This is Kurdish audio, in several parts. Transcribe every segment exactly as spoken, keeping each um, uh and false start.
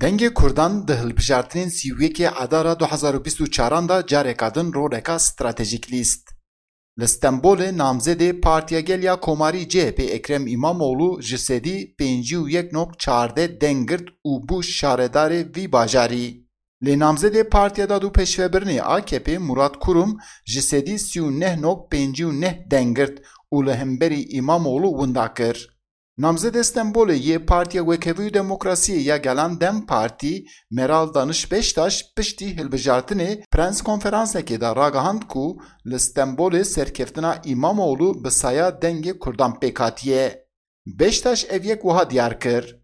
Dengê Kurdan di hilbijartinên sî û yekê Adara du hezar û bîst û çaran de careka din roleka stratejîk lîst. Li Stenbolê namzedê Partiya Gel ya Komarî C H P Ekrem Îmamoğlu ji sedî pêncî û yek nokta çardeh deng girt û bû şaredarê vî bajarî. Lê namzedê Partiya Dad û Pêşvebirinê A K P Murat Kurum ji sedî sî û neh nokta pêncî û neh deng girt û li hemberî Îmamoğlu winda kir. Namzedê Stenbolê yê Partiya Wekhevî û Demokrasiyê ya Gelan DEM Partî, Meral Daniş Beştaş piştî hilbijartinê prens konferansekê de ragihand ku li Stenbolê serkeftina Îmamoğlu bi saya dengê Kurdan pêk hatiye. Beştaş ev yek wiha diyar kir,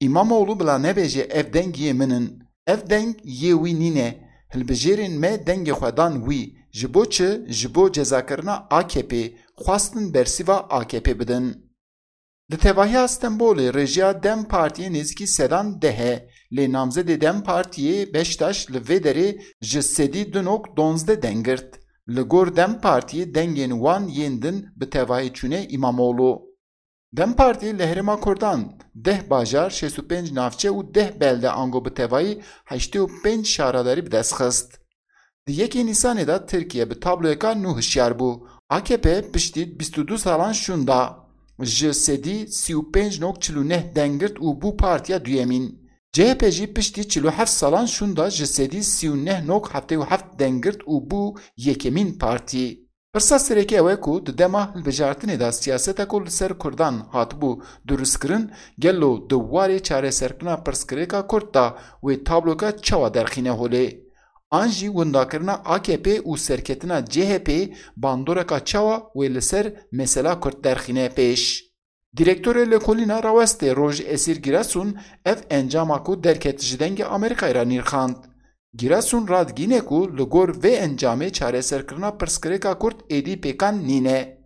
Îmamoğlu bila nebêje ev deng yê min in. Ev deng yê wî nîne. Hilbijêrên me dengê xwe dan wî. Ji bo çi? Ji bo cezakirina A K P. Xwestin bersîva A K P bidin. Di tevahiya Stenbolê rêjeya DEM Partiyê nêzîkî sedan deh e, lê namzedê DEM Partiyê Beştaş li vê derê ji sedî du nok donzdeh deng girt. Li gor DEM Partiyê dengên wan yên din bi tevahî çûne Îmamoğlu. DEM Partî li Herêma Kurdan deh bajar, şêst û pênc navçe û deh belde ango bi tevayî heştê û pênc şaredarî bi dest xist. Di yekê Nîsanê de Tirkiye bi tabloyeka nû hişyar bû. A K P piştî bîst û du salan şûnda ji sedî sî û pênc nok çil û neh deng girt û bû partiya duyemîn. C H P jî piştî çil û heft salan şûnda ji sedî sî û neh nok heftê û heft deng girt û bû yekemîn partî. Pirsa sereke ew e ku di dema hilbijartinê de siyaseta ku li ser Kurdan hatibû durustkirin, gelo di warê çareserkirina pirsgirêka Kurd de wê tabloka çawa derxîne holê? An jî windakirina A K P û serketina C H P bandoreka çawa wê li ser mesela Kurd derxîne pêş? Direktorê Lêkolîna Rawestê Roj Esîr Giresun ev encama ku derket ji Dengê Amerîkayê re nirxand. Giresun radigihîne ku li gor vê encamê çareserkirina pirsgirêka Kurd êdî pêkan nîne.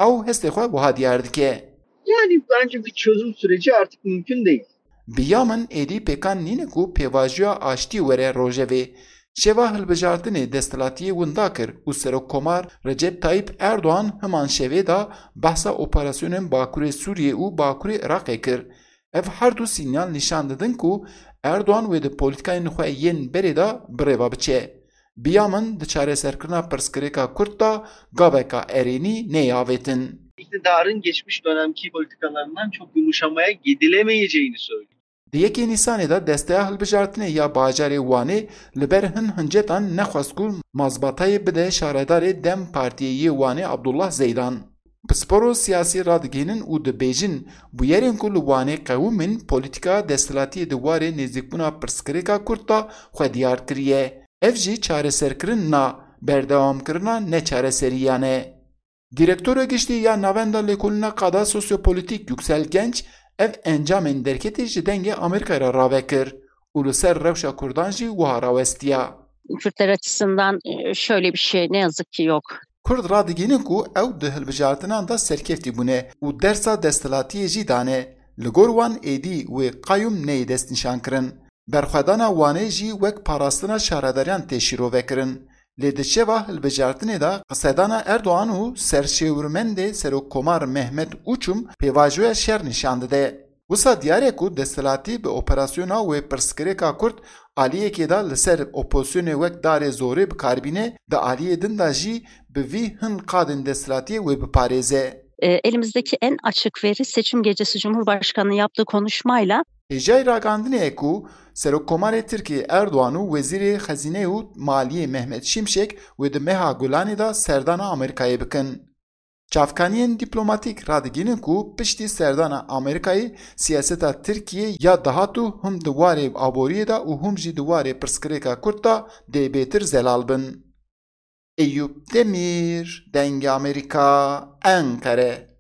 Ew hestê xwe wiha diyar dike. Yani bence bir çözüm süreci artık mümkün değil. Bi ya min êdî pêkan nîne ku pêvajoya aştî were rojevê. Şeva hilbijartinê desthilatiyê winda kir û Serokkomar Recep Tayyip Erdoğan himan şevê de behsa operasyonên Bakurê Sûriyê û Bakurê Iraqê kir. Ev her du sînyal nîşan didin ku Erdoğan wê di polîtikayên xwe yên berê de bi rê ve biçe. Bi ya min di çareserkirina pirsgirêka Kurd de gaveka erênî neyê avêtin. İktidarın geçmiş dönemki politikalarından çok yumuşamaya gidilemeyeceğini söylüyor. Di yekê Nîsanê de Desteya Hilbijartinê ya bajarê Wanê li ber hin hincetan nexwest ku mazbatayê bide şaredarê DEM Partiyê yê Wanê Abdullah Zeydan. Pisporo siyasî radigihînin û dibêjin, bûyerên ku li Wanê qewimîn polîtika desthilatiyê di warê nêzîkbûna pirsgirêka Kurd de xwe diyar kiriye. Ev jî çareserkirin na, berdewamkirina neçareseriyan e. Direktora Giştî ya Navenda Lêkolîna Qada Sosyopolitîk Yüksel Genç ev encamên derketî ji Dengê Amerîkayê re rave kir û li ser rewşa Kurdan jî wiha rawestiya. Kürtler açısından e, şöyle bir şey ne yazık ki yok. Kurd radigihînin ku ew di hilbijartinan de serkeftî bûne û dersa desthilatiyê jî dane. Li gor wan êdî wê qayûm neyê destnîşankirin. Berxwedana Wanê jî wek parastina şaredariyan tê şîrovekirin. Lê di şeva hilbijartinê de qisedana Erdogan û serşêwirmendê Serokkomar Mehmet Uçum pêvajoya şer nîşan dide. Wisa diyar e ku desthilatî bi operasyona wê pirsgirêka Kurd aliyekê de li ser opozîsyonê wek darê zorê bi kar bîne, di aliyê din de jî bi vî hin qadên desthilatiyê wê biparêze. E, elimizdeki en açık veri seçim gecesi Cumhurbaşkanı'nın yaptığı konuşmayla Hêjayî ragandinê ye ku Serokkomarê Tirkiyê Erdogan û Wezîrê Xezîneyê û Maliyê Mehmet Şimşek wê di meha Gulanê de serdana Amerîkayê bikin. Çavkaniyên dîplomatîk radigihînin ku piştî serdana Amerîkayê siyaseta Tirkiyê ya dahatû him di warê aboriyê de û him jî di warê pirsgirêka Kurd de dê bêtir zelal bin. Eyûp Demîr, Dengê Amerîka, Enqere.